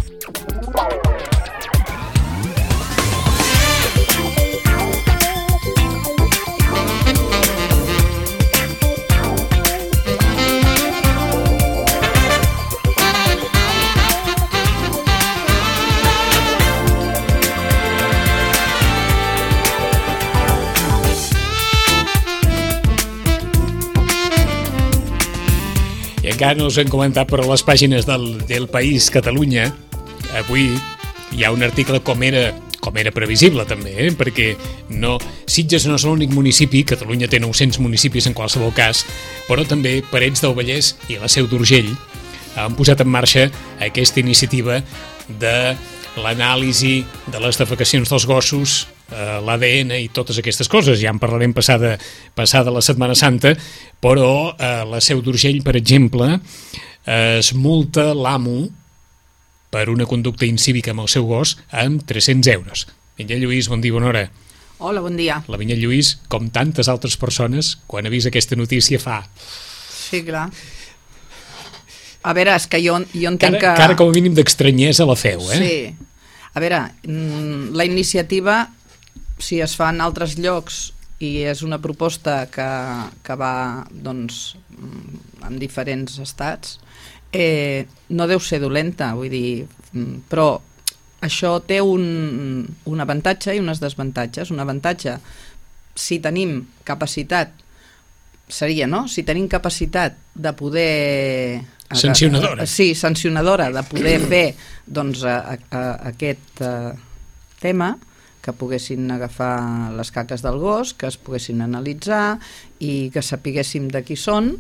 I encara no us hem comentat, però a les pàgines del País Catalunya avui hi ha un article com era previsible també, perquè Sitges no és l'únic municipi, Catalunya té 900 municipis en qualsevol cas, però també Parets del Vallès i la Seu d'Urgell han posat en marxa aquesta iniciativa de l'anàlisi de les defecacions dels gossos, l'ADN i totes aquestes coses. Ja en parlarem passada la Setmana Santa, però la Seu d'Urgell, per exemple, es multa l'amo per una conducta incívica amb el seu gos amb 300 euros. Vinyet Lluís, bon dia, bona hora. Hola, bon dia. La Vinyet Lluís, com tantes altres persones, quan ha vist aquesta notícia fa... Sí, clar. A veure, és que jo entenc que... Cara com a mínim d'estranyesa la feu, eh? Sí. A veure, la iniciativa, si es fa en altres llocs i és una proposta que va, doncs, en diferents estats, no deu ser dolenta, vull dir, però això té un avantatge i unes desavantatges. Un avantatge, si tenim capacitat, seria, no? Si tenim capacitat de poder... Sancionadora. Sí, sancionadora, de poder fer doncs, aquest tema, que poguessin agafar les caques del gos, que es poguessin analitzar i que sapiguéssim de qui són,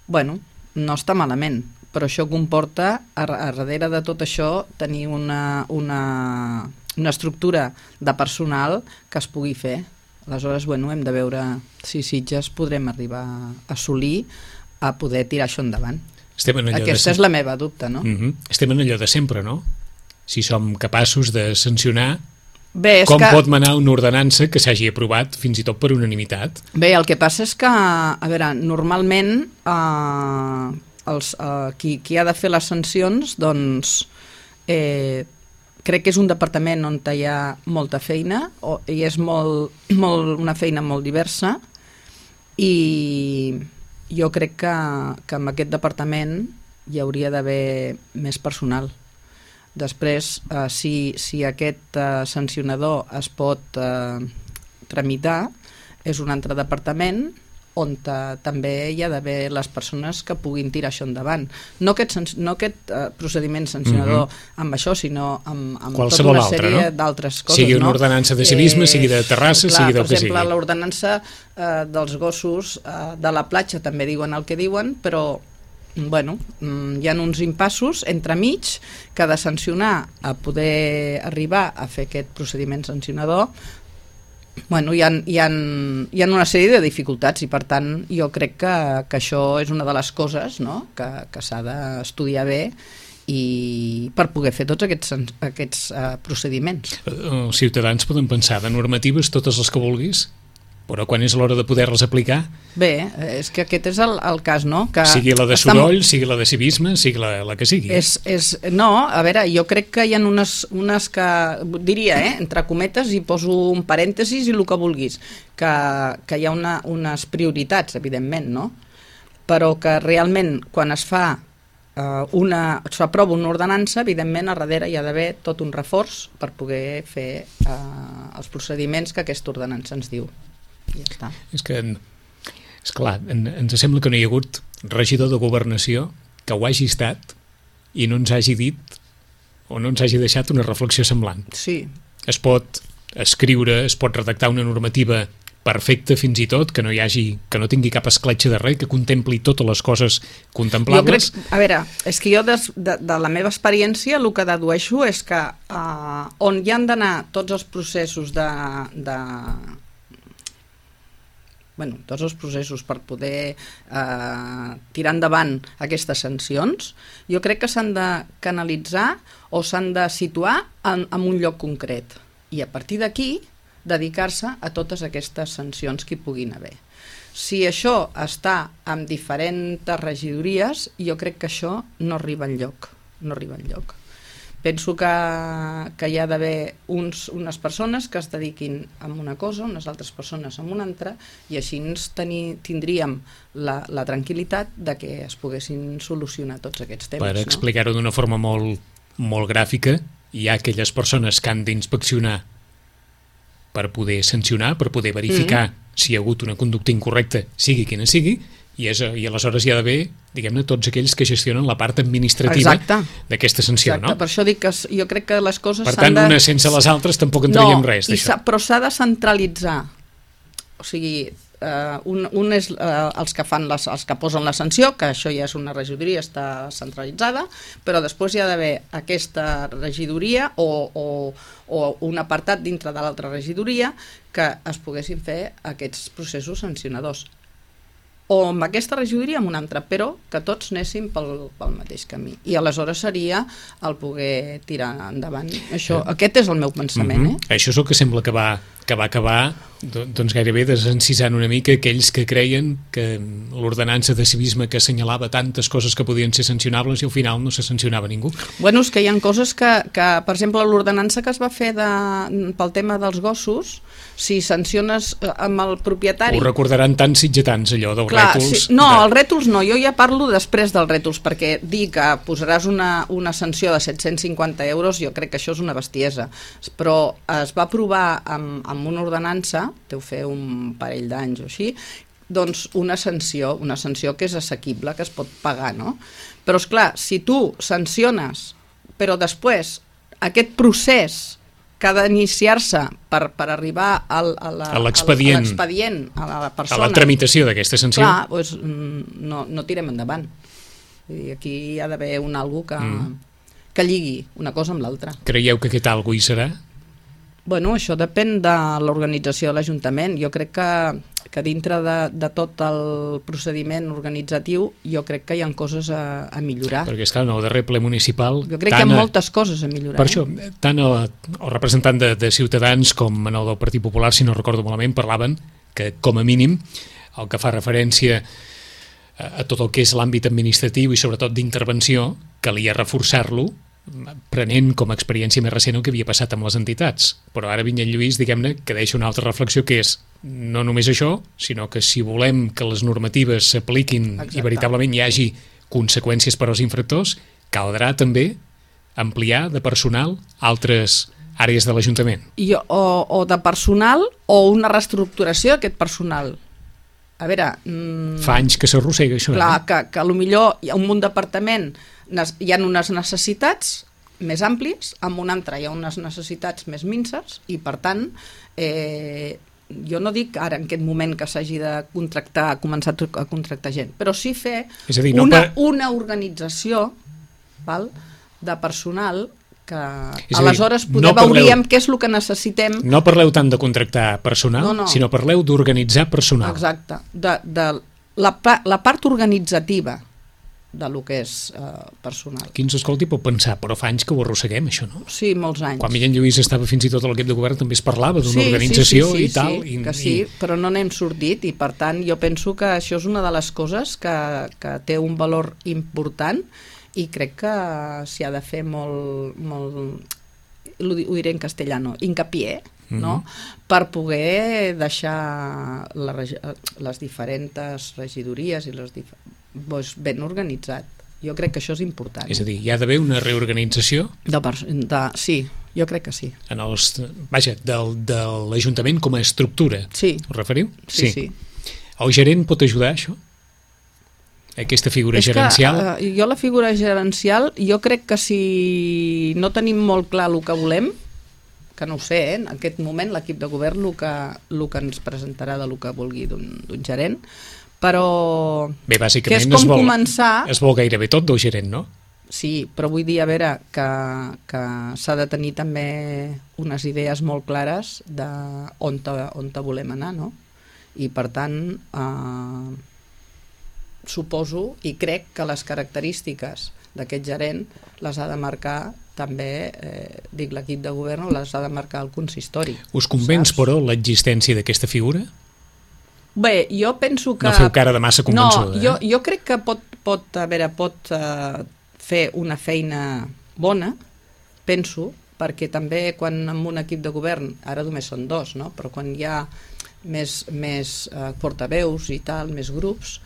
bueno, no està malament, però això comporta, a darrere de tot això, tenir una estructura de personal que es pugui fer. Aleshores, bueno, hem de veure si Sitges podrem arribar a assolir a poder tirar això endavant. Aquesta és la meva dubte, no? Estem en allò de sempre, no? Si som capaços de sancionar, com pot manar una ordenança que s'hagi aprovat fins i tot per unanimitat? Bé, el que passa és que, a veure, normalment qui ha de fer les sancions, doncs, crec que és un departament on hi ha molta feina, i és una feina molt diversa, i jo crec que en aquest departament hi hauria d'haver més personal. Després, si aquest sancionador es pot tramitar, és un altre departament on també hi ha d'haver les persones que puguin tirar això endavant. No aquest procediment sancionador amb això, sinó amb tota una sèrie d'altres coses. Sigui una ordenança de civisme, sigui de Terrassa, sigui del que sigui. Per exemple, l'ordenança dels gossos de la platja també diuen el que diuen, però bueno, hi ha uns impassos entremig que ha de sancionar a poder arribar a fer aquest procediment sancionador. Bueno, hi ha una sèrie de dificultats i per tant jo crec que això és una de les coses, no? que s'ha d'estudiar bé i per poder fer tots aquests procediments. Els ciutadans poden pensar de normatives totes les que vulguis, però quan és l'hora de poder-les aplicar? Bé, és que aquest és el cas, no? Que sigui la de soroll, sigui la de civisme, sigui la que sigui. No, a veure, jo crec que hi ha unes que, diria, entre cometes, i poso un parèntesis i el que vulguis, que hi ha unes prioritats, evidentment, no? Però que realment, quan es fa s'aprova una ordenança, evidentment a darrere hi ha d'haver tot un reforç per poder fer els procediments que aquesta ordenança ens diu. I ja està. És clar, ens sembla que no hi ha hagut regidor de governació que ho hagi estat i no ens hagi dit o no ens hagi deixat una reflexió semblant. Sí. Es pot escriure, es pot redactar una normativa perfecta fins i tot, que no tingui cap escletxa de res, que contempli totes les coses contemplables. A veure, és que jo de la meva experiència el que dedueixo és que on hi han d'anar tots els processos tots els processos per poder tirar endavant aquestes sancions, jo crec que s'han de canalitzar o s'han de situar en un lloc concret i a partir d'aquí dedicar-se a totes aquestes sancions que hi puguin haver. Si això està en diferents regidories, jo crec que això no arriba enlloc. Penso que hi ha d'haver unes persones que es dediquin a una cosa, unes altres persones a una altra, i així tindríem la tranquil·litat de que es poguessin solucionar tots aquests temes. Per explicar-ho d'una forma molt gràfica, hi ha aquelles persones que han d'inspeccionar per poder sancionar, per poder verificar si hi ha hagut una conducta incorrecta, sigui quina sigui, i aleshores hi ha d'haver, diguem-ne, tots aquells que gestionen la part administrativa d'aquesta sanció, no? Per això dic que jo crec que les coses s'han de... Per tant, unes sense les altres tampoc en traiem res, d'això. Però s'ha de centralitzar. O sigui, un és els que posen la sanció, que això ja és una regidoria, està centralitzada, però després hi ha d'haver aquesta regidoria o un apartat dintre de l'altra regidoria que es poguessin fer aquests processos sancionadors. O amb aquesta regidoria amb una altra, però que tots anéssim pel mateix camí. I aleshores seria el poder tirar endavant. Aquest és el meu pensament. Això és el que sembla que va acabar doncs gairebé desencisant una mica aquells que creien que l'ordenança de civisme que assenyalava tantes coses que podien ser sancionables i al final no se sancionava ningú. Bueno, és que hi ha coses que per exemple, l'ordenança que es va fer pel tema dels gossos, si sanciones amb el propietari... Ho recordaran tants sitgetans, allò dels rètols... No, els rètols no, jo ja parlo després dels rètols, perquè dir que posaràs una sanció de 750 euros, jo crec que això és una bestiesa. Però es va aprovar amb una ordenança, deu fer un parell d'anys o així, doncs una sanció que és assequible, que es pot pagar, no? Però, esclar, si tu sanciones, però després aquest procés que ha d'iniciar-se per arribar a l'expedient, a la persona... A la tramitació d'aquesta sanció. Clar, doncs no tirem endavant. Aquí hi ha d'haver algú que lligui una cosa amb l'altra. Creieu que aquest algú hi serà? Bueno, això depèn de l'organització de l'Ajuntament. Jo crec que dintre de tot el procediment organitzatiu jo crec que hi ha coses a millorar. Perquè, esclar, en el darrer ple municipal... Jo crec que hi ha moltes coses a millorar. Per això, tant el representant de Ciutadans com el del Partit Popular, si no recordo malament, parlaven que, com a mínim, el que fa referència a tot el que és l'àmbit administratiu i sobretot d'intervenció, calia reforçar-lo prenent com a experiència més recent el que havia passat amb les entitats. Però ara Vinyet Lluís, diguem-ne, que deixa una altra reflexió, que és no només això, sinó que si volem que les normatives s'apliquin i veritablement hi hagi conseqüències per als infractors, caldrà també ampliar de personal altres àrees de l'Ajuntament. O de personal o una reestructuració d'aquest personal. A veure... Fa anys que s'arrossega això. Clar, que potser hi ha un departament, hi ha unes necessitats més àmplies, amb un altre hi ha unes necessitats més minces i, per tant, jo no dic ara en aquest moment que s'hagi de començar a contractar gent, però sí fer una organització de personal que aleshores veuríem què és el que necessitem. No parleu tant de contractar personal, sinó parleu d'organitzar personal. Exacte, de la part organitzativa de lo que és personal. Qui ens escolti pot pensar, però fa anys que ho arrosseguem, això, no? Sí, molts anys. Quan Vinyet Lluís estava fins i tot a l'equip de govern també es parlava d'una organització i tal. Sí, però no n'hem sortit i, per tant, jo penso que això és una de les coses que té un valor important i crec que s'hi ha de fer molt, ho diré en castellano, hincapié, no? Per poder deixar les diferents regidories i ben organitzat. Jo crec que això és important. És a dir, hi ha d'haver una reorganització? Sí, jo crec que sí. De l'Ajuntament com a estructura. Sí. Us referiu? Sí. El gerent pot ajudar a això? Aquesta figura gerencial? Jo la figura gerencial, jo crec que si no tenim molt clar el que volem, que no ho sé, en aquest moment l'equip de govern el que ens presentarà del que vulgui d'un gerent, però bé, bàsicament que és com començar... Es vol gairebé tot del gerent, no? Sí, però vull dir, a veure, que s'ha de tenir també unes idees molt clares d'on volem anar, no? I per tant, suposo i crec que les característiques d'aquest gerent les ha de marcar també, dic l'equip de govern, les ha de marcar el consistori. Us convenç, però, l'existència d'aquesta figura? Bé, jo penso que... No feu cara de massa convençuda. No, jo crec que pot fer una feina bona, penso, perquè també quan en un equip de govern, ara només són 2, no? Però quan hi ha més portaveus i tal, més grups,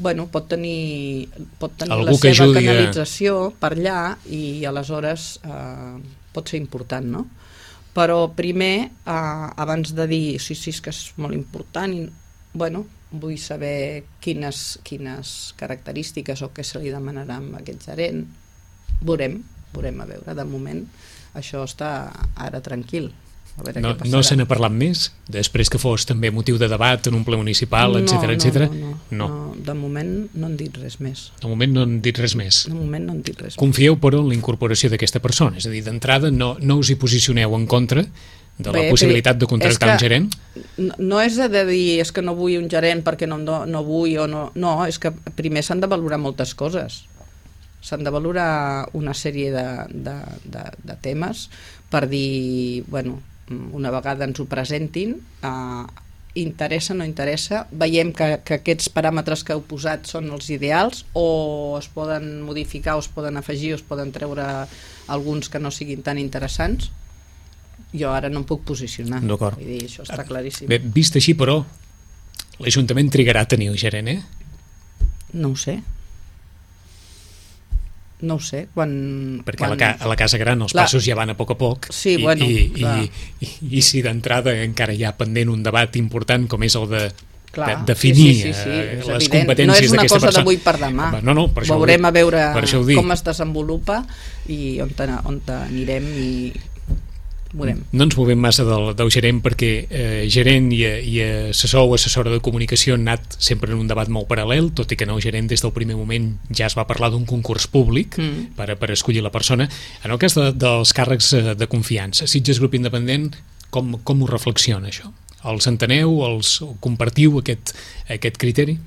bueno, pot tenir la seva canalització per allà i aleshores pot ser important, no? Però primer, abans de dir sí, és que és molt important, bueno, vull saber quines característiques o què se li demanarà a aquest gerent. Veurem a veure, de moment això està ara tranquil. No se n'ha parlat més? Després que fos també motiu de debat en un ple municipal, etc. No, de moment no han dit res més. De moment no han dit res més. De moment no han dit res més. Confieu, però, en la incorporació d'aquesta persona? És a dir, d'entrada no us hi posicioneu en contra de la possibilitat de contractar un gerent? No és de dir és que no vull un gerent perquè no vull o no. No, és que primer s'han de valorar moltes coses. S'han de valorar una sèrie de temes per dir, bueno, una vegada ens ho presentin, interessa, no interessa, veiem que aquests paràmetres que heu posat són els ideals o es poden modificar o es poden afegir o es poden treure alguns que no siguin tan interessants. Jo ara no em puc posicionar. D'acord. Vull dir, això està claríssim. Bé, vist així, però, l'Ajuntament trigarà a tenir el gerent, No ho sé. No ho sé, perquè a la Casa Gran els passos ja van a poc, sí, bueno, i si d'entrada encara hi ha pendent un debat important com és el de definir les competències d'aquesta persona. No és una cosa d'avui per demà. Per això veurem a veure com es desenvolupa i on anirem i veurem. No ens movem massa del gerent perquè gerent i assessor o assessora de comunicació han anat sempre en un debat molt paral·lel, tot i que el gerent des del primer moment ja es va parlar d'un concurs públic per escollir la persona. En el cas dels càrrecs de confiança, Sitges Grup Independent, com ho reflexiona això? Els enteneu? Compartiu aquest criteri?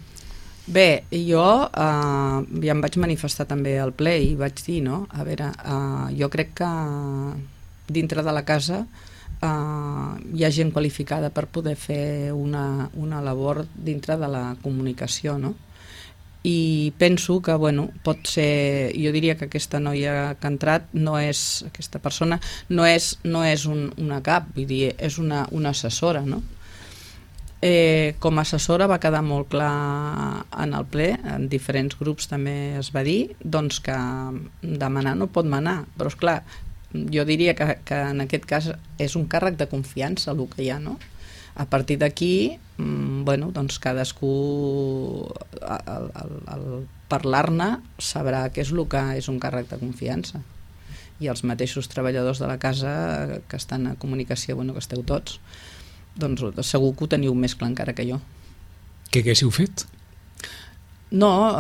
Bé, jo ja em vaig manifestar també al ple i vaig dir, no? A veure, jo crec que dintre de la casa hi ha gent qualificada per poder fer una labor dintre de la comunicació, no? I penso que, bueno, pot ser, jo diria que aquesta noia que ha entrat aquesta persona no és una cap, vull dir, és una assessora, no? Com a assessora va quedar molt clar en el ple, en diferents grups també es va dir, doncs que demanar no pot manar, però esclar, jo diria que en aquest cas és un càrrec de confiança el que hi ha, no? A partir d'aquí, bueno, doncs cadascú al parlar-ne sabrà què és el que és un càrrec de confiança. I els mateixos treballadors de la casa que estan a comunicació, bueno, que esteu tots, doncs segur que ho teniu més clar encara que jo. Què haguéssiu fet? No,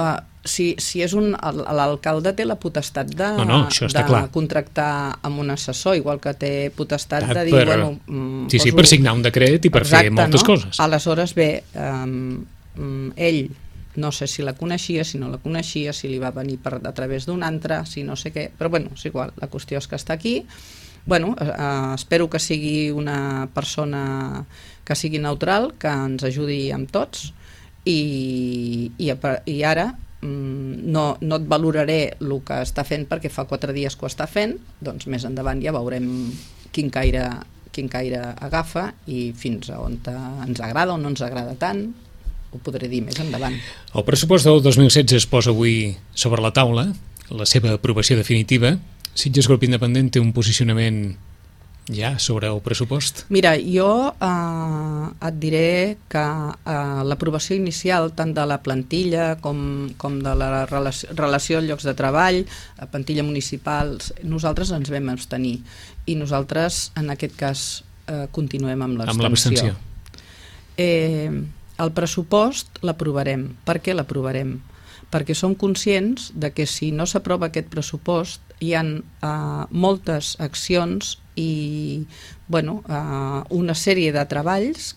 si és l'alcalde té la potestat de contractar amb un assessor, igual que té potestat de dir... Sí, per signar un decret i per fer moltes coses. Aleshores, bé, ell no sé si la coneixia, si no la coneixia, si li va venir a través d'un altre, si no sé què, però bueno, és igual, la qüestió és que està aquí. Bueno, espero que sigui una persona que sigui neutral, que ens ajudi amb tots, i ara no et valoraré el que està fent perquè fa 4 dies que ho està fent, doncs més endavant ja veurem quin caire agafa i fins a on ens agrada o no ens agrada tant, ho podré dir més endavant. El pressupost del 2016 es posa avui sobre la taula, la seva aprovació definitiva. Sitges Grup Independent té un posicionament ja sobre el pressupost? Mira, jo et diré que l'aprovació inicial tant de la plantilla com de la relació als llocs de treball, la plantilla municipal, nosaltres ens vam abstenir i nosaltres en aquest cas continuem amb l'abstenció. El pressupost l'aprovarem. Per què l'aprovarem? Perquè som conscients de que si no s'aprova aquest pressupost hi ha moltes accions i una sèrie de treballs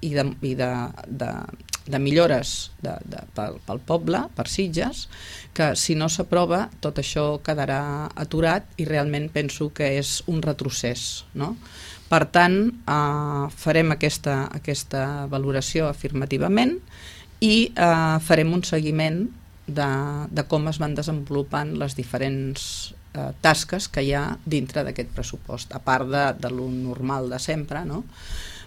i de millores pel poble, per Sitges, que si no s'aprova tot això quedarà aturat i realment penso que és un retrocés, no? Per tant, farem aquesta valoració afirmativament i farem un seguiment de com es van desenvolupant les diferents tasques que hi ha dintre d'aquest pressupost, a part de lo normal de sempre, no?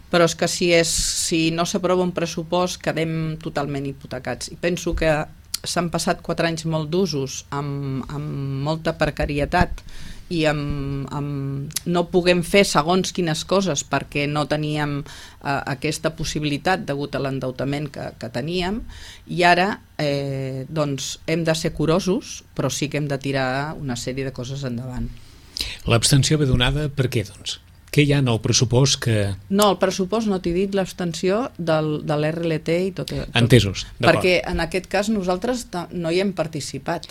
Però és que si no s'aprova un pressupost quedem totalment hipotecats. I penso que s'han passat 4 anys molt d'usos amb molta precarietat i no puguem fer segons quines coses perquè no teníem aquesta possibilitat degut a l'endeutament que teníem, i ara doncs hem de ser curosos, però sí que hem de tirar una sèrie de coses endavant. L'abstenció ve donada per què, doncs? Què hi ha en el pressupost que... No, el pressupost no t'he dit l'abstenció de l'RLT i tot. Entesos, d'acord. Perquè en aquest cas nosaltres no hi hem participat.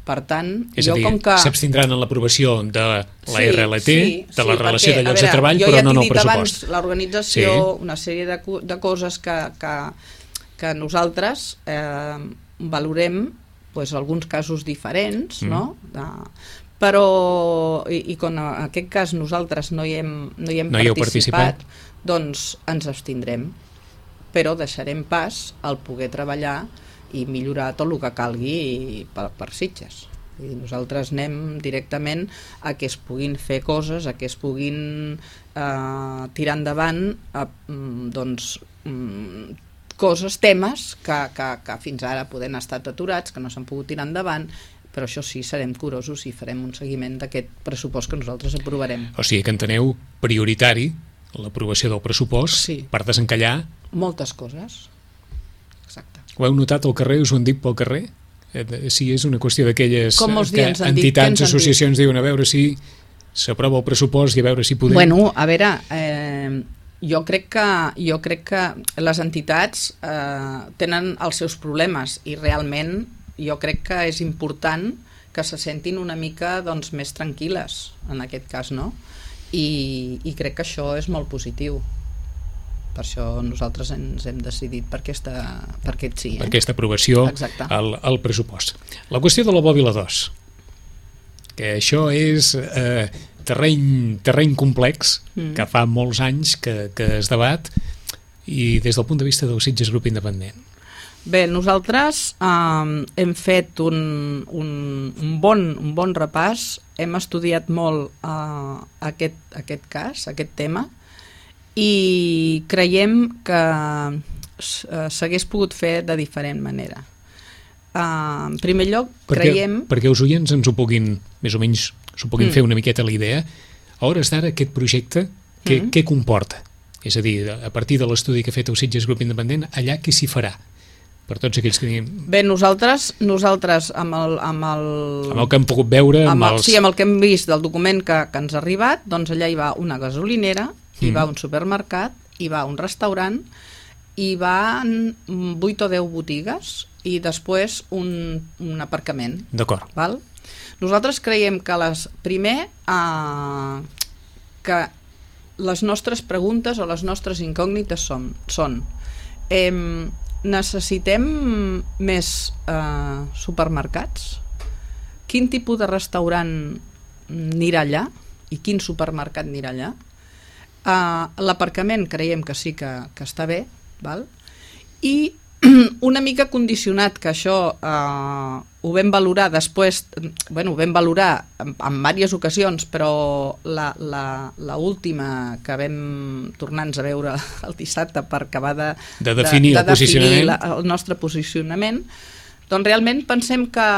Per tant, és a dir, s'abstindran en l'aprovació de la RLT, de la relació de llocs de treball, però no en el pressupost. Jo ja t'he dit abans l'organització, una sèrie de coses que nosaltres valorem alguns casos diferents, no? Però i com en aquest cas nosaltres no hi hem participat, doncs ens abstindrem, però deixarem pas al poder treballar i millorar tot el que calgui per Sitges. I nosaltres anem directament a que es puguin fer coses, a que es puguin tirar endavant coses, temes que fins ara poden estar aturats, que no s'han pogut tirar endavant, però això sí, serem curosos i farem un seguiment d'aquest pressupost que nosaltres aprovarem. O sigui que enteneu prioritari l'aprovació del pressupost per desencallar... moltes coses. Exacte. Ho heu notat al carrer? Us ho han dit pel carrer? Si és una qüestió d'aquelles que entitats, associacions diuen a veure si s'aprova el pressupost i a veure si podem... Bueno, a veure, jo crec que les entitats tenen els seus problemes i realment jo crec que és important que se sentin una mica més tranquil·les en aquest cas, no? I crec que això és molt positiu. Per això nosaltres ens hem decidit per aquest sí. Per aquesta aprovació al pressupost. La qüestió de la Bòbila 2, que això és terreny complex, que fa molts anys que es debat, i des del punt de vista del Sitges Grup Independent. Bé, nosaltres hem fet un bon repàs, hem estudiat molt aquest cas, aquest tema, i creiem que s'hagués pogut fer de diferent manera. En primer lloc, creiem... Perquè els oients ens ho puguin, més o menys, s'ho puguin fer una miqueta la idea, a hores d'ara aquest projecte, què comporta? És a dir, a partir de l'estudi que ha fet el Sitges Grup Independent, allà què s'hi farà? Per tots aquells que... Bé, nosaltres amb el que hem pogut veure... Sí, amb el que hem vist del document que ens ha arribat, doncs allà hi va una gasolinera, hi va un supermercat, hi va un restaurant, hi van 8 o 10 botigues i després un aparcament. D'acord. Val? Nosaltres creiem que que les nostres preguntes o les nostres incògnites són necessitem més supermercats? Quin tipus de restaurant anirà allà i quin supermercat anirà allà? L'aparcament creiem que sí que està bé, val? I una mica condicionat, que això ho vam valorar després, ho vam valorar en diverses ocasions, però la última que vam tornar-nos a veure el dissabte per acabar de definir el nostre posicionament, doncs realment pensem que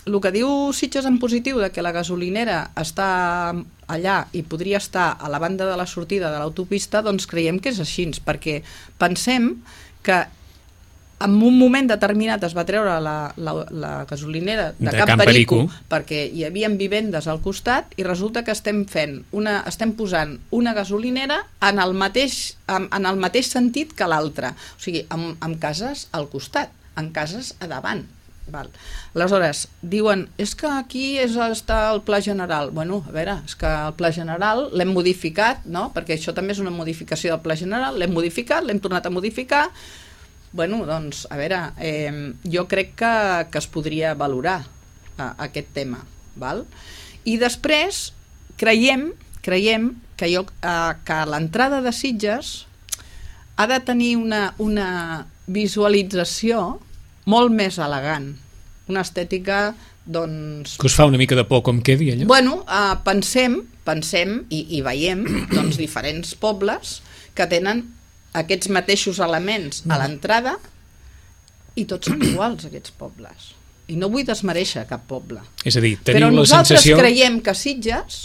el que diu Sitges en positiu de que la gasolinera està allà i podria estar a la banda de la sortida de l'autopista, doncs creiem que és així, perquè pensem que en un moment determinat es va treure la gasolinera de Camp Perico perquè hi havia vivendes al costat i resulta que estem posant una gasolinera en el mateix sentit que l'altra, o sigui, amb cases al costat, amb cases a davant. Val. Aleshores, diuen, és que aquí està el Pla General. Bueno, a veure, és que el Pla General l'hem modificat, no? Perquè això també és una modificació del Pla General, l'hem modificat, l'hem tornat a modificar. Bueno, doncs, a veure, jo crec que es podria valorar aquest tema, val? I després creiem que l'entrada de Sitges ha de tenir una visualització molt més elegant, una estètica Doncs... Que us fa una mica de por com quedi allò? Bueno, pensem i veiem doncs, diferents pobles que tenen aquests mateixos elements a l'entrada i tots són iguals, aquests pobles. I no vull desmereixer cap poble. És a dir, però teniu la sensació... nosaltres creiem que Sitges,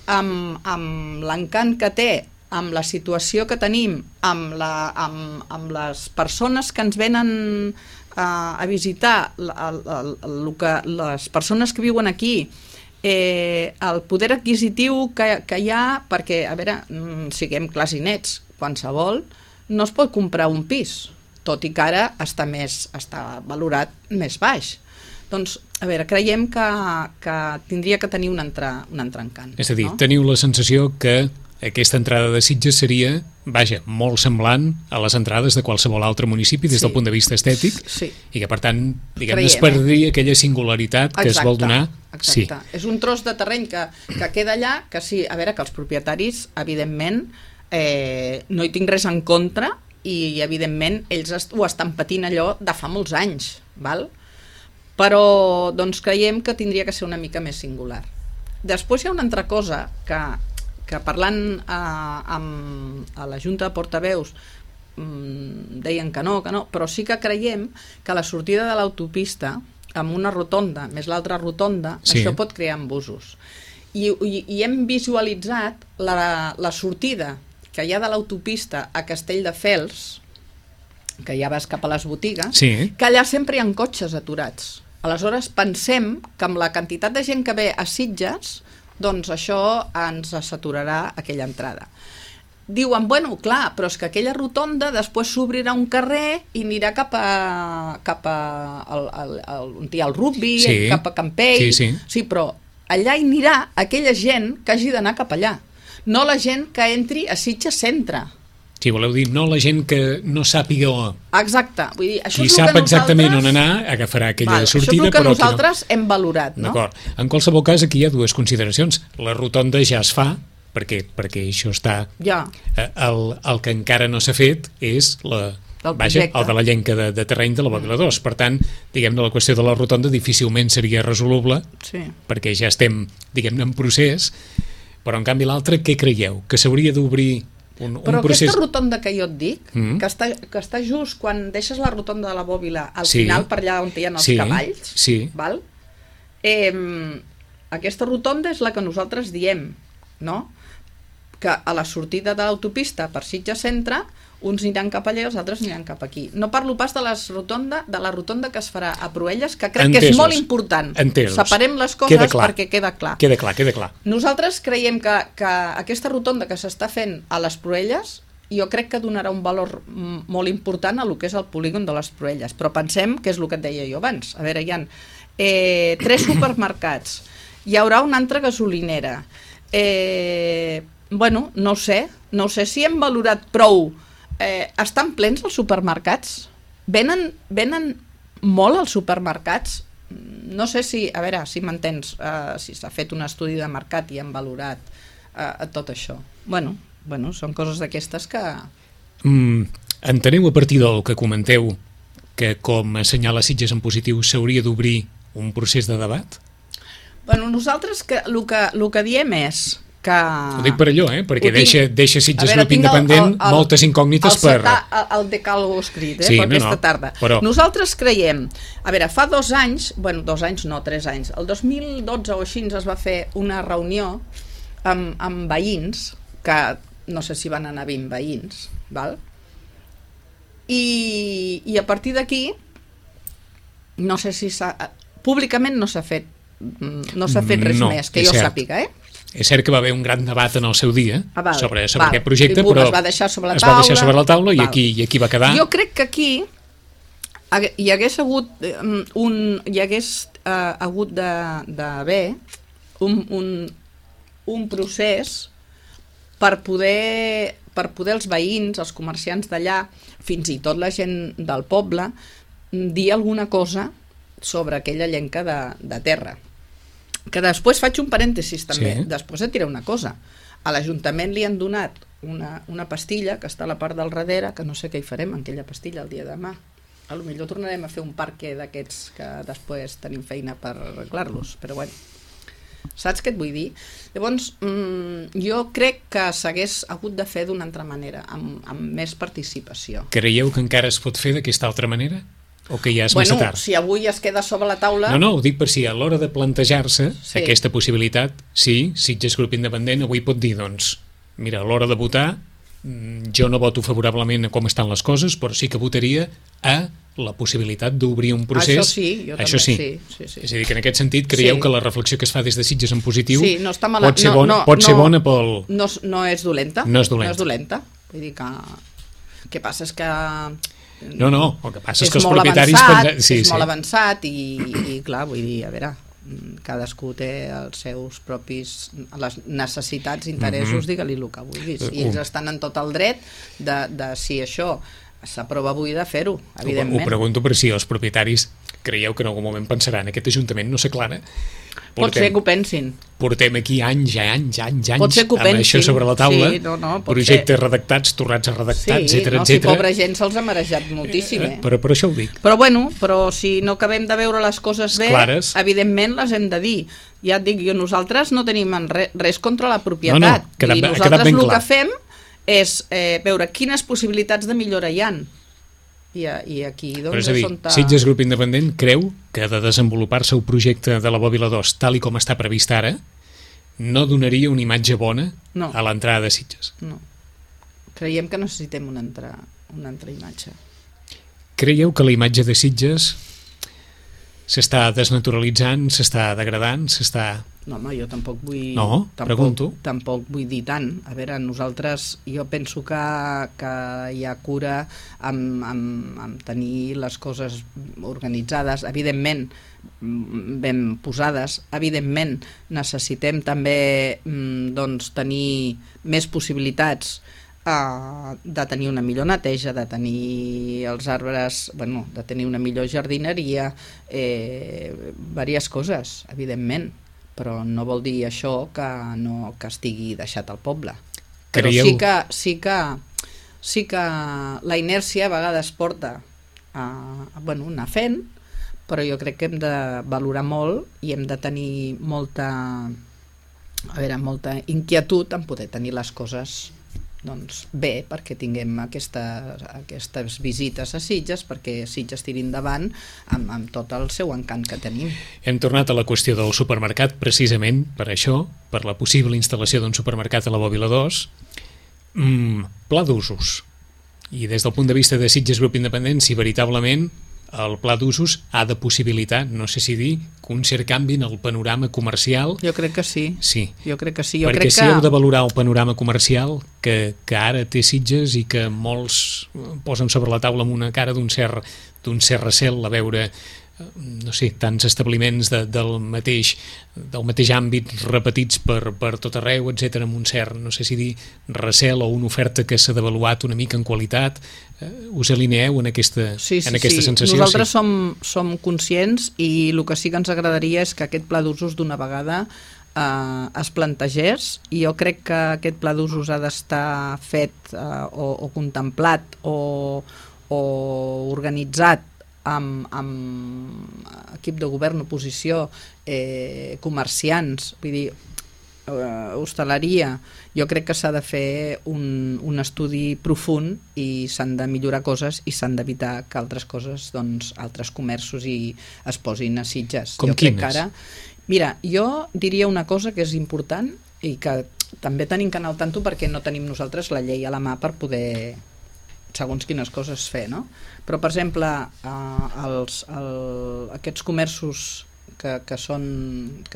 amb l'encant que té, amb la situació que tenim, amb les persones que ens venen a visitar, les persones que viuen aquí, el poder adquisitiu que hi ha, perquè, a veure, siguem clars i nets, qualsevol no es pot comprar un pis, tot i que ara està valorat més baix. Doncs, a veure, creiem que tindria que tenir un entrencant. És a dir, teniu la sensació que aquesta entrada de Sitges seria, vaja, molt semblant a les entrades de qualsevol altre municipi des del punt de vista estètic, i que per tant, diguem-ne, es perdria aquella singularitat que es vol donar. Exacte. És un tros de terreny que queda allà, que sí, a veure, que els propietaris, evidentment, no hi tinc res en contra i, evidentment, ells ho estan patint allò de fa molts anys, val? Però doncs creiem que tindria que ser una mica més singular. Després hi ha una altra cosa que parlant a la Junta de Portaveus deien que no, però sí que creiem que la sortida de l'autopista amb una rotonda més l'altra rotonda, això pot crear embusos. I hem visualitzat la sortida que hi ha de l'autopista a Castelldefels, que ja vas cap a les botigues, que allà sempre hi ha cotxes aturats. Aleshores pensem que amb la quantitat de gent que ve a Sitges, doncs això ens saturarà aquella entrada. Diuen, bueno, clar, però és que aquella rotonda després s'obrirà un carrer i anirà cap a on hi ha el rugby, cap a Campell. Sí, però allà hi anirà aquella gent que hagi d'anar cap allà, no la gent que entri a Sitges Centre. Sí, voleu dir, no la gent que no sàpiga on. Exacte. Vull dir, això qui sap exactament on anar, agafarà aquella sortida. Això és el que nosaltres hem valorat, no? D'acord. En qualsevol cas, aquí hi ha dues consideracions. La rotonda ja es fa, perquè això està... El que encara no s'ha fet és el de la llenca de terreny de la Bòbila 2. Per tant, diguem-ne, la qüestió de la rotonda difícilment seria resoluble, perquè ja estem, diguem-ne, en procés. Però, en canvi, l'altre, què creieu? Que s'hauria d'obrir però aquesta rotonda que jo et dic, que està just quan deixes la rotonda de la Bòbila al final, per allà on hi ha els cavalls, val? Aquesta rotonda és la que nosaltres diem, no? Que a la sortida de l'autopista per Sitges Centre, uns aniran cap allà i els altres aniran cap aquí. No parlo pas de la rotonda que es farà a Proelles, que crec que és molt important. Separem les coses perquè queda clar. Queda clar. Nosaltres creiem que aquesta rotonda que s'està fent a les Proelles, jo crec que donarà un valor molt important a lo que és el polígon de les Proelles, però pensem que és el que et deia jo abans. A veure, hi ha 3 supermercats, hi haurà una altra gasolinera, bueno, no sé si hem valorat prou. Estan plens els supermercats? Venen molt els supermercats? No sé si, a veure, si m'entens, si s'ha fet un estudi de mercat i han valorat tot això. Bueno, són coses d'aquestes que... Enteneu a partir del que comenteu que com assenyala Sitges en positiu s'hauria d'obrir un procés de debat? Bueno, nosaltres el que diem és que... Ho dic per allò, perquè deixa Sitges Grup Independent moltes incògnites per... El decàlogo escrit, per aquesta tarda. Nosaltres creiem... A veure, fa 2 anys, 2 anys no, 3 anys, el 2012 o així es va fer una reunió amb veïns, que no sé si van anar 20 veïns, val? I a partir d'aquí, no sé si públicament no s'ha fet res més, que jo sàpiga, És cert que va haver un gran debat en el seu dia sobre aquest projecte, però es va deixar sobre la taula i aquí va quedar. Jo crec que aquí hi hagués hagut d'haver un procés per poder els veïns, els comerciants d'allà, fins i tot la gent del poble, dir alguna cosa sobre aquella llenca de terra. Que després faig un parèntesis també, després et diré una cosa, a l'Ajuntament li han donat una pastilla que està a la part del darrere, que no sé què hi farem amb aquella pastilla el dia de demà. A lo millor tornarem a fer un parque d'aquests que després tenim feina per arreglar-los, però bueno. Saps què et vull dir? Llavors, jo crec que s'hagués hagut de fer d'una altra manera, amb més participació. Creieu que encara es pot fer d'aquesta altra manera? O que ja és massa tard? Si avui es queda sobre la taula... No, ho dic per si a l'hora de plantejar-se aquesta possibilitat, sí, Sitges Grup Independent avui pot dir, doncs, mira, a l'hora de votar, jo no voto favorablement a com estan les coses, però sí que votaria a la possibilitat d'obrir un procés. Això sí, jo també, sí. És a dir, que en aquest sentit creieu que la reflexió que es fa des de Sitges en positiu no està mala, pot ser bona pel... No és dolenta. No és dolenta. Vull dir que... El que passa és que... No, el que passa és que els propietaris... És molt avançat i clar, vull dir, a veure, cadascú té els seus propis les necessitats, interessos, digue-li el que vulguis, i ells estan en tot el dret de si això s'aprova avui de fer-ho, evidentment. Ho pregunto per si els propietaris creieu que en algun moment pensaran aquest Ajuntament no s'aclara. Pot ser que ho pensin. Portem aquí anys amb pensin. això sobre la taula, projectes ser. Redactats, tornats a redactar, etcètera. Si pobra gent se'ls ha marejat moltíssim. Però per això ho dic. Però si no acabem de veure les coses bé, clares, evidentment les hem de dir. Ja et dic, nosaltres no tenim res contra la propietat. I nosaltres el que fem és veure quines possibilitats de millora hi ha. I aquí, doncs, però és a dir, Sitges Grup Independent creu que ha de desenvolupar-se el projecte de la Bòbila 2 tal i com està previst ara no donaria una imatge bona a l'entrada de Sitges. No. Creiem que necessitem una altra imatge. Creieu que la imatge de Sitges s'està desnaturalitzant, s'està degradant, No, home, jo tampoc vull... No, pregunto. Tampoc vull dir tant. A veure, nosaltres, jo penso que hi ha cura amb tenir les coses organitzades, evidentment ben posades, evidentment necessitem també doncs, tenir més possibilitats de tenir una millor neteja, de tenir els arbres, de tenir una millor jardineria, diverses coses, evidentment, però no vol dir això que estigui deixat al poble. Però sí que la inèrcia a vegades porta a anar fent, però jo crec que hem de valorar molt i hem de tenir molta inquietud en poder tenir les coses bé, perquè tinguem aquestes visites a Sitges, perquè Sitges tiri endavant amb tot el seu encant que tenim. Hem tornat a la qüestió del supermercat precisament per això, per la possible instal·lació d'un supermercat a la Bòbila 2. Pla d'usos. I des del punt de vista de Sitges Grup Independent, si veritablement el pla d'usos ha de possibilitar, no sé si dir, que un cert canvi en el panorama comercial. Jo crec que sí. Sí. Jo crec que sí. Perquè si heu de valorar el panorama comercial que ara té Sitges i que molts posen sobre la taula amb una cara d'un cert recel a veure, no sé, tants establiments del mateix àmbit repetits per tot arreu, etc, amb un cert, no sé si dir, recel o una oferta que s'ha devaluat una mica en qualitat. Us alineeu en aquesta sensació? Nosaltres som conscients i el que sí que ens agradaria és que aquest pla d'usos d'una vegada es plantegés, i jo crec que aquest pla d'usos ha d'estar fet o contemplat o organitzat amb equip de govern, oposició, comerciants, vull dir, hostaleria. Jo crec que s'ha de fer un estudi profund i s'han de millorar coses i s'han d'evitar que altres coses, doncs, altres comerços es posin a Sitges. Com quines? Mira, jo diria una cosa que és important i que també tenim que anar al tanto perquè no tenim nosaltres la llei a la mà per poder segons quines coses fer, no? Però, per exemple, aquests comerços que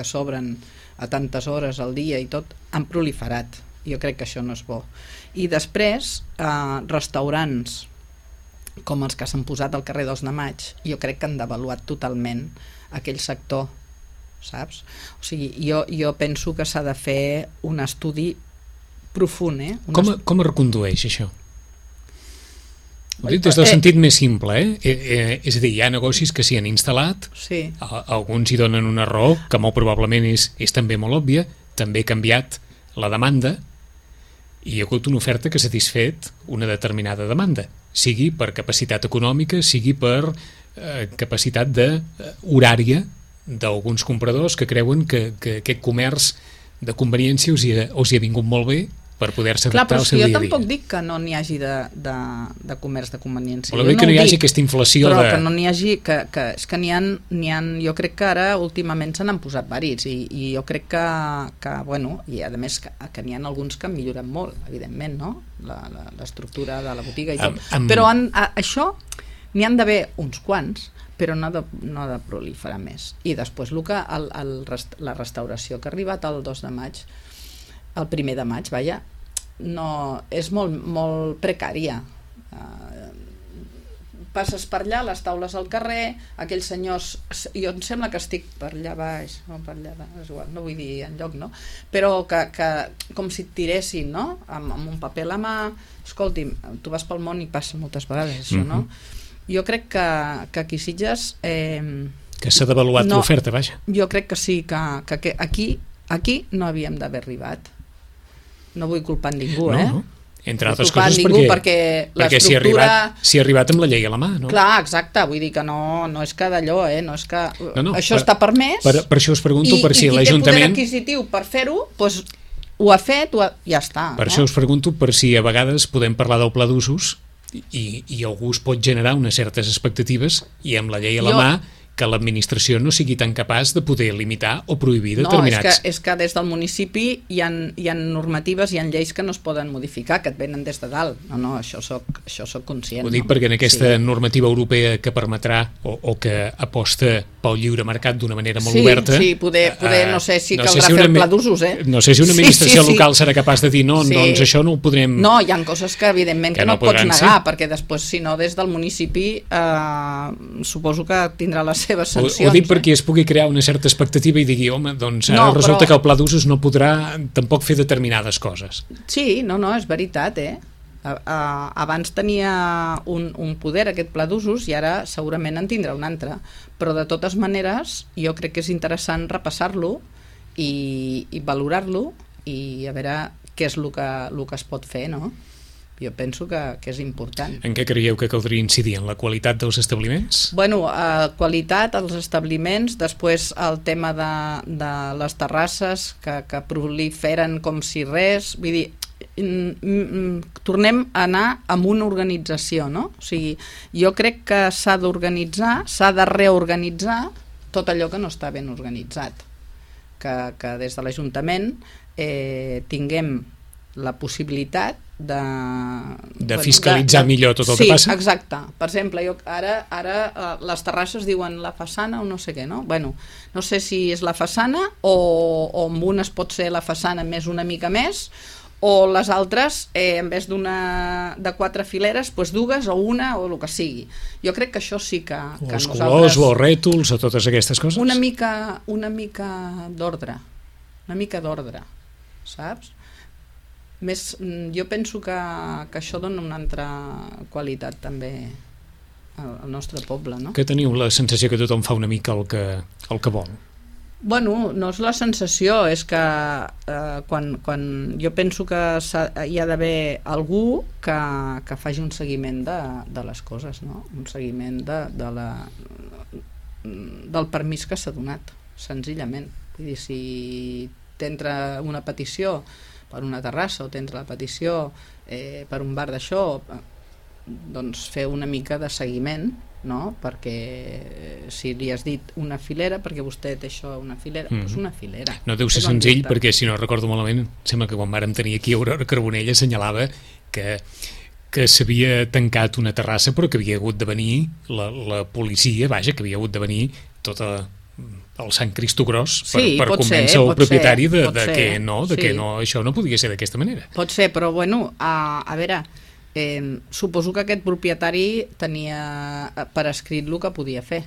s'obren a tantes hores al dia i tot, han proliferat. Jo crec que això no és bo. I després, restaurants com els que s'han posat al carrer 2 de Maig, jo crec que han devaluat totalment aquell sector, saps? O sigui, jo penso que s'ha de fer un estudi profund, Com es recondueix això? Ho dic des del sentit més simple, és a dir, hi ha negocis que s'hi han instal·lat, alguns hi donen una raó, que molt probablement és també molt òbvia, també ha canviat la demanda, i hi ha hagut una oferta que ha satisfet una determinada demanda, sigui per capacitat econòmica, sigui per capacitat horària d'alguns compradors que creuen que aquest comerç de conveniència us hi ha vingut molt bé per poder-se adaptar al seu dia a dia. Jo tampoc dic que no n'hi hagi de comerç de conveniència. Vol dir que no hi hagi aquesta inflació però que no n'hi hagi, és que n'hi ha, jo crec que ara últimament se n'han posat varis i jo crec que bueno, i a més que n'hi ha alguns que han millorat molt, evidentment, no? L'estructura de la botiga i tot. Però això n'hi han d'haver uns quants, però no ha de proliferar més. I després la restauració que ha arribat el 2 de maig, el 1 de maig, vaja, no, és molt precària. Passes per allà, les taules al carrer, aquells senyors, jo em sembla que estic per allà baix, no, per allà baix, és igual, no vull dir enlloc, no? Però que com si et tiressin, no? Amb un paper a la mà, escolti'm, tu vas pel món i passa moltes vegades això, no? Jo crec que aquí a Sitges... que s'ha devaluat l'oferta, vaja. Jo crec que sí, que aquí no havíem d'haver arribat. No vull culpar ningú, no. Entre altres culpar coses ningú perquè l'estructura... s'hi ha arribat amb la llei a la mà, no? Clar, exacte, vull dir que no és que d'allò, no és que... això està permès... Per això us pregunto per si l'Ajuntament... I qui té poder adquisitiu per fer-ho, doncs ho ha fet, ja està. Per això us pregunto per si a vegades podem parlar del pla d'usos i algú es pot generar unes certes expectatives i amb la llei a la mà que l'administració no sigui tan capaç de poder limitar o prohibir determinats... No, és que des del municipi hi ha normatives, hi ha lleis que no es poden modificar, que et venen des de dalt. No, això soc conscient. Ho dic perquè en aquesta normativa europea que permetrà o que aposta pel lliure mercat d'una manera molt oberta... Sí, poder no sé si caldrà fer el pla d'usos, No sé si una administració local serà capaç de dir no, doncs això no ho podrem... No, hi ha coses que evidentment que no pots negar, perquè després, si no, des del municipi suposo que tindrà les seves sancions. Ho dic perquè es pugui crear una certa expectativa i digui, home, doncs ara resulta que el pla d'usos no podrà tampoc fer determinades coses. Sí, no, és veritat, abans tenia un poder aquest pla d'usos i ara segurament en tindrà un altre, però de totes maneres jo crec que és interessant repassar-lo i valorar-lo i a veure què és el que es pot fer, no? Jo penso que és important. En què creieu que caldria incidir? En la qualitat dels establiments? Bueno, qualitat als establiments, després el tema de les terrasses que proliferen com si res, vull dir, tornem a anar amb una organització, no? O sigui, jo crec que s'ha d'organitzar, s'ha de reorganitzar tot allò que no està ben organitzat, que des de l'Ajuntament tinguem la possibilitat de fiscalitzar millor tot el que passa? Sí, exacte. Per exemple, ara les terrasses diuen la façana o no sé què, no? Bueno, no sé si és la façana o amb unes pot ser la façana més una mica més, o les altres, en vez de 4 fileres, doncs 2 o una o el que sigui. Jo crec que això sí que els colors o els rètols o totes aquestes coses? Una mica d'ordre. Una mica d'ordre, saps? Més, jo penso que això dona una altra qualitat també al nostre poble, no? Que teniu la sensació que tothom fa una mica el que vol? Bueno, no és la sensació, és que quan jo penso que hi ha d'haver algú que faci un seguiment de les coses, no? Un seguiment del permís que s'ha donat, senzillament. Vull dir, si t'entra una petició per una terrassa o t'entra la petició per un bar d'això, doncs fer una mica de seguiment, no? Perquè si li has dit una filera, perquè vostè té això, una filera, doncs una filera. No deu ser senzill, perquè si no recordo malament, sembla que quan vàrem tenir aquí Aurora Carbonell assenyalava que s'havia tancat una terrassa però que havia hagut de venir la policia, vaja, que havia hagut de venir tota el Sant Cristo Gros per convèncer el propietari que no, això no podia ser d'aquesta manera. Pot ser, però bueno, a veure, suposo que aquest propietari tenia per escrit el que podia fer.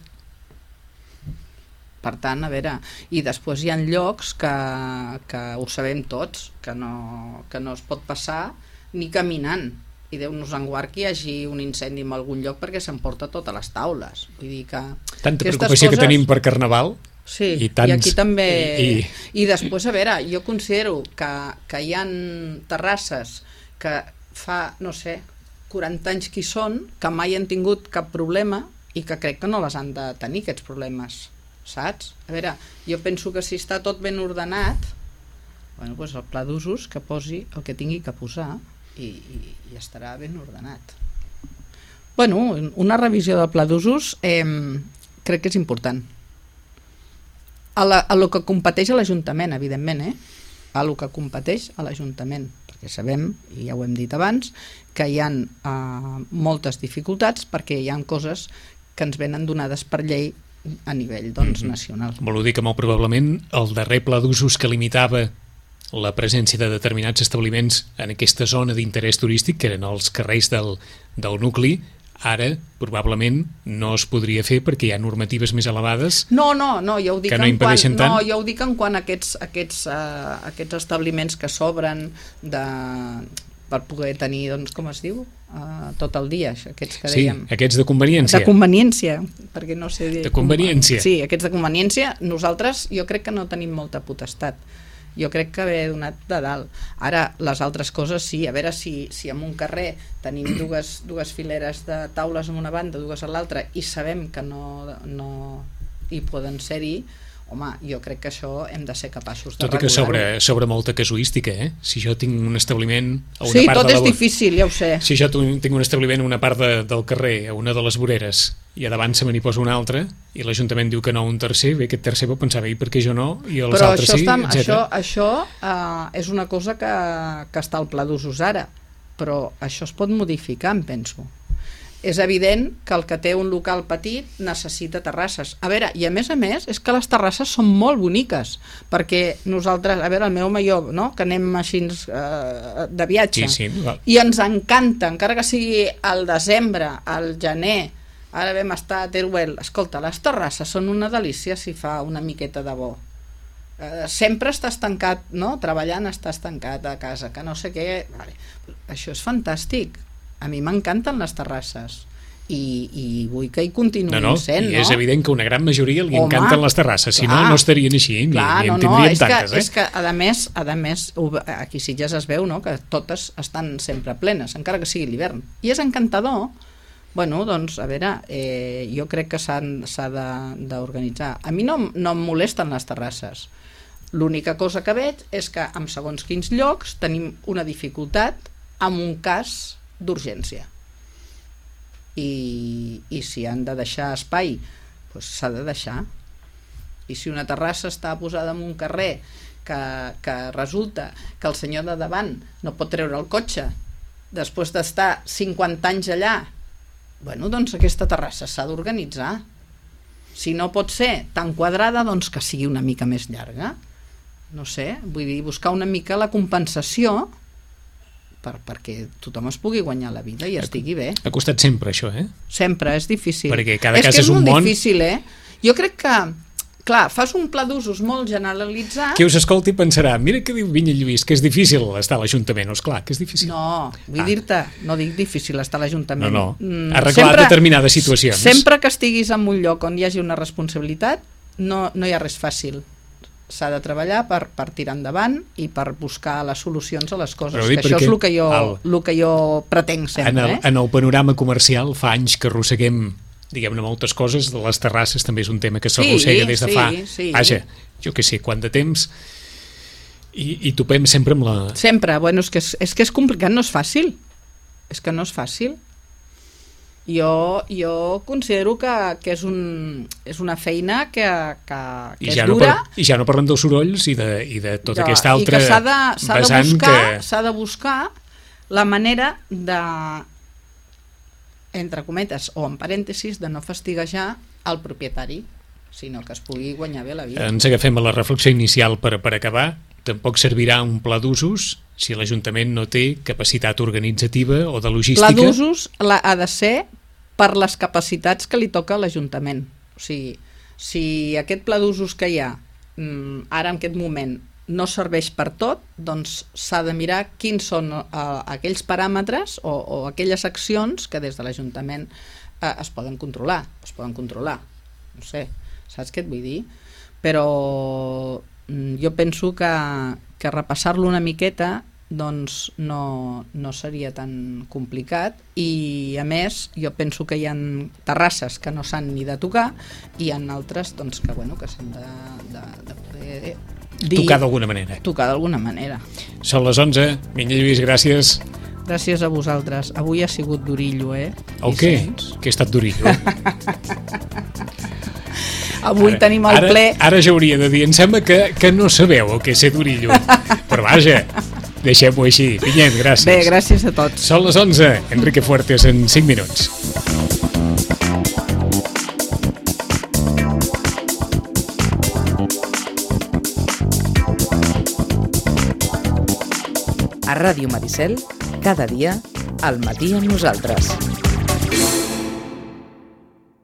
Per tant, a veure, i després hi ha llocs que ho sabem tots, que no es pot passar ni caminant. I Déu nos en guard que hi hagi un incendi en algun lloc perquè s'emporta totes les taules. Vull dir que... Tanta preocupació que tenim per Carnaval Sí, I tants, i aquí també... I després, a veure, jo considero que hi ha terrasses que fa, no sé, 40 anys que hi són, que mai han tingut cap problema i que crec que no les han de tenir, aquests problemes, saps? A veure, jo penso que si està tot ben ordenat, bueno, doncs el pla d'usos que posi el que tingui que posar i estarà ben ordenat. Bueno, una revisió del pla d'usos crec que és important. A lo que competeix a l'Ajuntament, evidentment, a lo que competeix a l'Ajuntament, perquè sabem, i ja ho hem dit abans, que hi ha moltes dificultats perquè hi ha coses que ens venen donades per llei a nivell nacional. Vol dir que molt probablement el darrer pla d'usos que limitava la presència de determinats establiments en aquesta zona d'interès turístic, que eren els carrers del nucli, ara probablement no es podria fer perquè hi ha normatives més elevades ja ho dic que no impedeixen tant. No, ja ho dic en quant a aquests establiments que s'obren per poder tenir, doncs, com es diu, tot el dia, aquests que dèiem. Sí, aquests de conveniència. De conveniència, perquè no sé dir... De conveniència. Sí, aquests de conveniència, nosaltres jo crec que no tenim molta potestat. Jo crec que ve donat de dalt. Ara, les altres coses sí, a veure si en un carrer tenim dues fileres de taules en una banda, dues a l'altra, i sabem que no hi poden ser-hi, home, jo crec que això hem de ser capaços de regular-ho. Tot i que sobre molta casuística, Si jo tinc un establiment a una sí, part tot és difícil, ja ho sé. Si jo tinc un establiment a una part del carrer, a una de les voreres, i a davant se me n'hi posa una altra, i l'Ajuntament diu que no, un tercer, bé, aquest tercer pot pensar, bé, i per què jo no, i els altres sí, etc. Això és una cosa que està al pla d'usos ara, però això es pot modificar, em penso. És evident que el que té un local petit necessita terrasses. A veure, i a més, és que les terrasses són molt boniques, perquè nosaltres, a veure, el meu major, no?, que anem així de viatge, i ens encanta, encara que sigui al desembre, al gener, ara vam estar a Teruel, escolta, les terrasses són una delícia si fa una miqueta de bo. Sempre estàs tancat, no?, treballant estàs tancat a casa, que no sé què... Vale. Això és fantàstic. A mi m'encanten les terrasses i vull que hi continuïn sent, no? I és evident que una gran majoria li encanten les terrasses, si no, no estarien així, ni en tindríem tantes. És que, a més, aquí a Sitges es veu, no?, que totes estan sempre plenes, encara que sigui l'hivern. I és encantador. Bueno, doncs, a veure, jo crec que s'ha d'organitzar. A mi no em molesten les terrasses. L'única cosa que veig és que en segons quins llocs tenim una dificultat en un cas d'urgència i si han de deixar espai, doncs s'ha de deixar. I si una terrassa està posada en un carrer que resulta que el senyor de davant no pot treure el cotxe després d'estar 50 anys allà, bueno, doncs aquesta terrassa s'ha d'organitzar. Si no pot ser tan quadrada, doncs que sigui una mica més llarga. No sé, vull dir, buscar una mica la compensació perquè tothom es pugui guanyar la vida i estigui bé. Ha costat sempre això, Sempre, és difícil. Perquè cada cas és un món. És molt difícil, Jo crec que, clar, fas un pla d'usos molt generalitzat... Qui us escolti pensarà, mira què diu Vinya Lluís, que és difícil estar a l'Ajuntament. Esclar, que és difícil. No, vull dir-te, no dic difícil estar a l'Ajuntament. No, arreglar determinades situacions. Sempre que estiguis en un lloc on hi hagi una responsabilitat, no hi ha res fàcil. S'ha de treballar per tirar endavant i per buscar les solucions a les coses, que això és el que jo pretenc sempre. En el panorama comercial fa anys que arrosseguem, diguem-ne, moltes coses. Les terrasses també és un tema que s'arrossega des de fa... Vaja, jo què sé, quant de temps, i topem sempre amb la... Sempre, bueno, és que és complicat, no és fàcil. És que no és fàcil. Jo considero que és una feina que és dura. I ja no parlem dels sorolls i de tota aquesta altra vessant que... S'ha de buscar la manera de, entre cometes o en parèntesis, de no fastiguejar el propietari, sinó que es pugui guanyar bé la vida. Ens agafem a la reflexió inicial per acabar. Tampoc servirà un pla d'usos si l'Ajuntament no té capacitat organitzativa o de logística. Pla d'usos ha de ser per les capacitats que li toca a l'Ajuntament. O sigui, si aquest pla d'usos que hi ha ara en aquest moment no serveix per tot, doncs s'ha de mirar quins són aquells paràmetres o aquelles accions que des de l'Ajuntament es poden controlar. No sé, saps què et vull dir? però jo penso que repassar-lo una miqueta doncs no seria tan complicat, i a més jo penso que hi ha terrasses que no s'han ni de tocar i hi ha altres doncs, que s'han de poder dir, tocar d'alguna manera. Tocar d'alguna manera. Són les 11. Minya Lluís, gràcies. Gràcies a vosaltres. Avui ha sigut d'orillo, eh? El què? Que he estat d'orillo. Avui tenim el ple... Ara ja hauria de dir, em sembla que no sabeu el que és ser d'orillo. Però vaja, deixem-ho així. Pinyet, gràcies. Bé, gràcies a tots. Són les 11. Enrique Fuertes en 5 minuts. A Ràdio Maricel, cada dia, al matí amb nosaltres.